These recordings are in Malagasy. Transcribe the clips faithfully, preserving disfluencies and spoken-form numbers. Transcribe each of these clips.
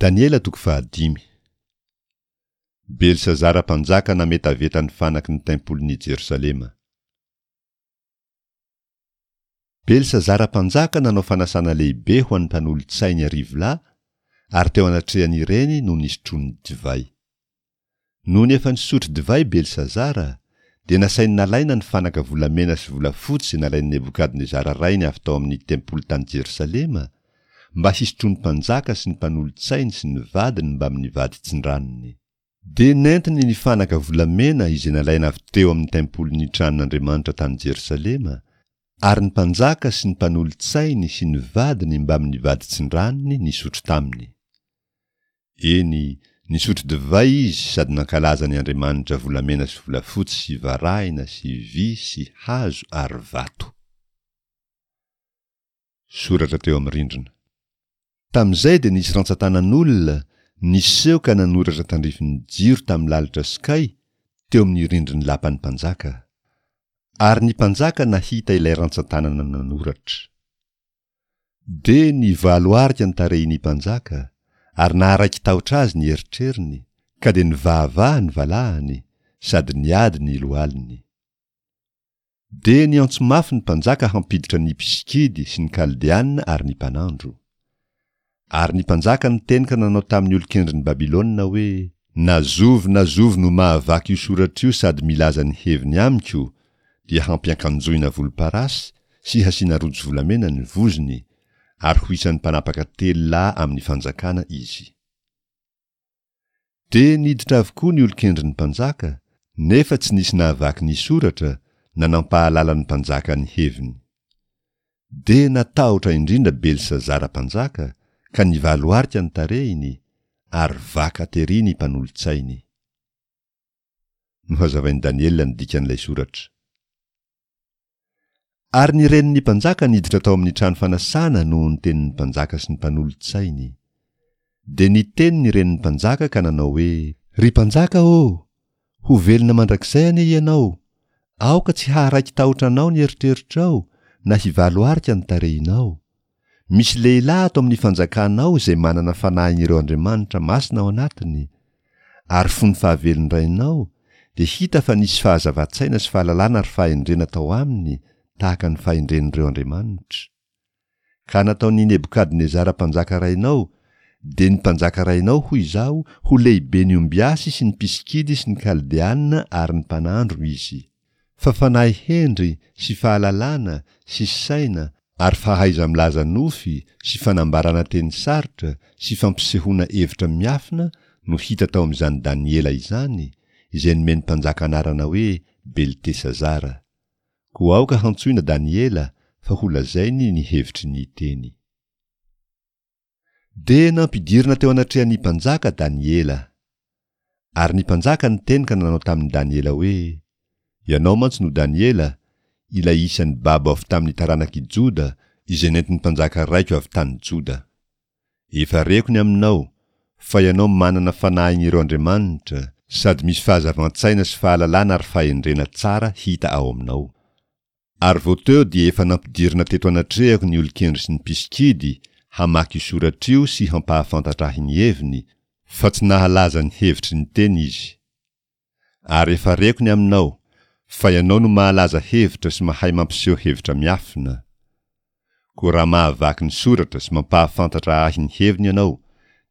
Daniela toko fahadimy. Belsazara mpanjaka nametaveta ny fanaky ny tempolin'i Jerosalema. Belsazara mpanjaka nanao fanasana lehibe ho an'ny mpanolotsainy arivo lahy, ary teo anatrehan'ireny no nisotroany divay. Nony efa nisotro divay Belsazara, dia nasainy nalaina ny fanaka volamena sy volafotsy izay nalain'i Nebokadnezara rainy avy tao amin'ny tempoly tany Jerosalema, mba hisotroan'ny mpanjaka sy ny mpanolotsainy sy ny vadiny mbamin'ny vaditsindranony. Dia nentiny ny fanaka volamena izay nalaina avy teo amin'ny tempolin'ny tranon'Andriamanitra tany Jerosalema, ary ny mpanjaka sy ny mpanolotsainy sy ny vadiny mbamin'ny vaditsindranony nisotro taminy. Eny, nisotro divay izy sady nankalaza ny andriamanitra volamena sy volafotsy sy varahina sy vy sy hazo ary vato. Soratra teo amin'ny rindrina. Tamin'izay dia nisy rantsan-tanan'olona niseho ka nanoratra tandrifin'ny jiro tamin'ny lalitra sokay teo amin'ny rindrin'ny lapan'ny mpanjaka. Ary ny mpanjaka nahita ilay rantsan-tanana nanoratra. Dia nivalo arika ny tarehin'ny mpanjaka, ary naharaiki-tahotra azy ny eritreriny, ka dia nivahavaha ny valahany, sady niady ny lohaliny. Dia niantso mafy ny mpanjaka hampiditra ny mpisikidy sy ny Kaldeana ary ny mpanandro. Ary ny mpanjaka niteny ka nanao tamin'ny olon-kendrin'i Babylona hoe: Na zovy na zovy no mahavaky io soratra io sady milaza ny heviny amiko, dia hampiankanjoina volomparasy sy hasiana rojo volamena ny vozony, ary ho isan'ny mpanapaka telo lahy amin'ny fanjakana izy. Dia niditra avokoa ny olon-kendrin'ny mpanjaka, nefa tsy nisy nahavaky ny soratra na nampahalala ny mpanjaka ny heviny. Dia natahotra indrindra Belsazara mpanjaka, ka nivaloarika ny tarehiny, ary vaka tery ny mpanolotsainy. Nohazavain'i Daniela ny dikan'ilay soratra. Ary ny renin'ny mpanjaka niditra tao amin'ny trano fanasana noho ny tenin'ny mpanjaka sy ny mpanolotsainy. Dia niteny ny renin'ny mpanjaka ka nanao hoe: Ry mpanjaka ô, ho velona mandrakizay anie ianao! Aoka tsy haharaiki-tahotra anao ny eritreritrao na hivalo arika ny tarehinao. Misy lehilahy ato amin'ny fanjakanao izay manana fanahin'ireo andriamanitra masina ao anatiny, ary fony fahavelon-drainao, dia hita fa nisy fahazavan-tsaina sy fahalalana ary fahendrena tao aminy tahaka ny fahendren'ireo andriamanitra. Ka nataon'i Nebokadnezara mpanjaka rainao, dia ny mpanjaka rainao hoy izaho, ho lehiben'ny ombiasy sy ny mpisikidy sy ny Kaldeana ary ny mpanandro izy. Fa fanahy hendry sy fahalalana sy saina ary fahaiza-milaza nofy sy fanambarana teny sarotra sy fampisehoana hevitra miafina no hita tao amin'izany Daniela izany, izay nomen'ny mpanjaka anarana hoe Beltesazara. Koa aoka hantsoina Daniela fa holazainy ny hevitry ny teny. Dia nampidirina teo anatrehan'ny mpanjaka Daniela. Ary ny mpanjaka niteny ka nanao tamin'i Daniela hoe: Ianao mantsy no Daniela, ilay isan'ny babo avy tamin'ny taranak'i Joda, izay nentin'ny mpanjaka raiko avy tany Joda. Efa reko ny aminao, fa ianao manana fanahin'ireo andriamanitra, sady misy fahazavan-tsaina sy fahalalana ary fahendrena tsara hita ao aminao. Ary vao teo dia efa nampidirina teto anatrehako ny olon-kendry sy ny mpisikidy hamaky io soratra io sy hampahafantatra ahy ny heviny, fa tsy nahalaza ny hevitry ny teny izy. Ary efa reko ny aminao, fa ianao no mahalaza hevitra sy mahay mampiseho hevitra miafina. Koa raha mahavaky ny soratra sy mampahafantatra ahy ny heviny ianao,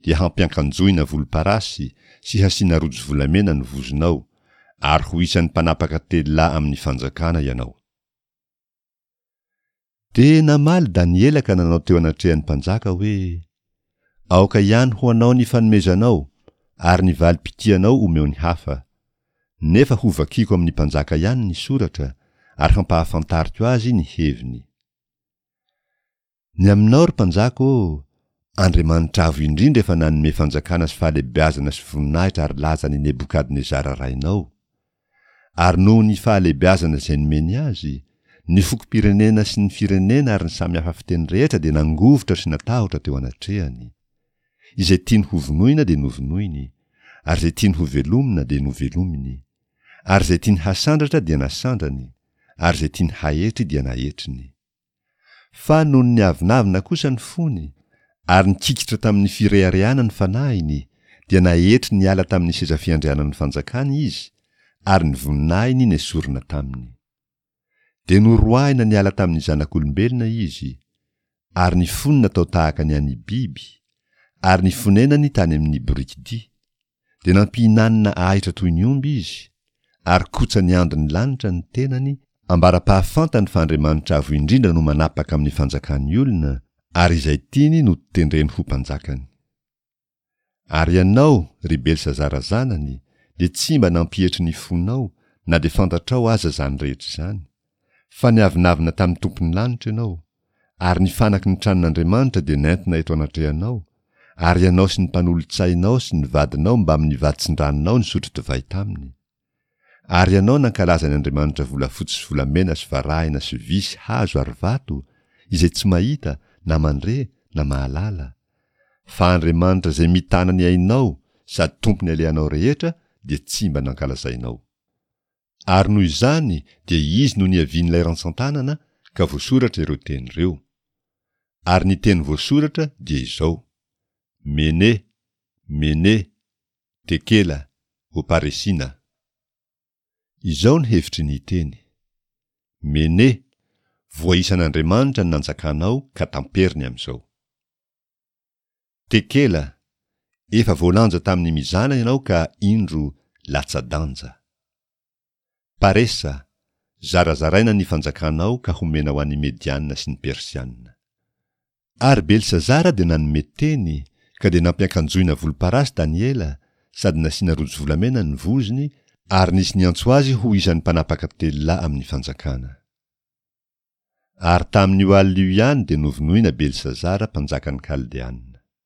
dia hampiankanjoina volomparasy sy hasiana rojo volamena ny vozonao, ary ho isan'ny mpanapaka telo lahy amin'ny fanjakana ianao. Dia namaly Daniela ka nanao teo anatrehan'ny mpanjaka hoe: Aoka ihany ho anao ny fanomezanao, ary ny valim-pitianao omeo ny hafa. Nefa hovakiko amin'ny mpanjaka ihany ny soratra, ary hampahafantariko azy ny heviny. Ny aminao, ry mpanjaka ô, Andriamanitra Avo Indrindra efa nanome fanjakana sy fahalehibeazana sy voninahitra ary laza an'i Nebokadnezara rainao. Ary noho ny fahalehibeazana izay nomeny azy, ny fokom-pirenena sy ny firenena ary ny samy hafa fiteny rehetra dia nangovitra sy natahotra teo anatrehany. Izay tiany hovonoina dia novonoiny, ary izay tiany hovelomina dia novelominy, ary izay tiany hasandratra dia nasandrany, ary izay tiany haetry dia naetriny. Fa nony niavonavona kosa ny fony, Ary nikikitra tamin'ny fireharehana ny fanahiny, dia naetry niala tamin'ny seza fiandrianan'ny fanjakany izy, ary ny voninahiny nesorina taminy. Dia noroahina niala tamin'ny zanak'olombelona izy, ary ny fony natao tahaka ny an'ny biby, ary ny fonenany tany amin'ny borikidia. Dia nampihinanina ahitra toy ny omby izy, ary kotsa niandry ny lanitra ny tenany, ambara-pahafantany fa Andriamanitra Avo Indrindra no manapaka amin'ny fanjakan'ny olona, ary izay tiany no tendreny ho mpanjakany. Ary ianao, ry Belsazara zanany, dia tsy mba nampietry ny fonao, na dia fantatrao aza izany rehetra izany, fa niavonavona tamin'ny Tompon'ny lanitra ianao, ary ny fanaky ny tranon'Andriamanitra dia nentina eto anatrehanao, ary ianao sy ny mpanolotsainao sy ny vadinao mbamin'ny vaditsindranonao nisotro divay taminy. Ary ianao nankalaza ny andriamanitra volafotsy sy volamena sy varahina sy vy sy hazo ary vato, izay tsy mahita na mandre na mahalala. Fa Andriamanitra izay mitana ny ainao sady tompon'ny alehanao rehetra dia tsy mba nankalazainao. Ary noho izany dia izy no niavian'ilay rantsantanana ka voasoratra ireo teny ireo. Ary ny teny voasoratra dia izao, Mene, Mene, Tekela, Oparesina. Izao ny hevitry ny teny. Mene, voaisan'Andriamanitra ny nanjakanao ka tamperiny amin'izao. Tekela, efa voalanja tamin'ny mizana ianao ka indro latsa-danja. Paresa, zarazaraina ny fanjakanao ka homena ho an'ny Mediana sy ny Persiana. Ary Belsazara dia nanome teny, ka dia nampiankanjoina volomparasy Daniela, sady nasiana rojo volamena ny vozony, ary nisy niantso azy ho isan'ny mpanapaka telo lahy amin'ny fanjakana. Ary tamin'io alina io ihany dia novonoina Belsazara mpanjakan'ny Kaldeana.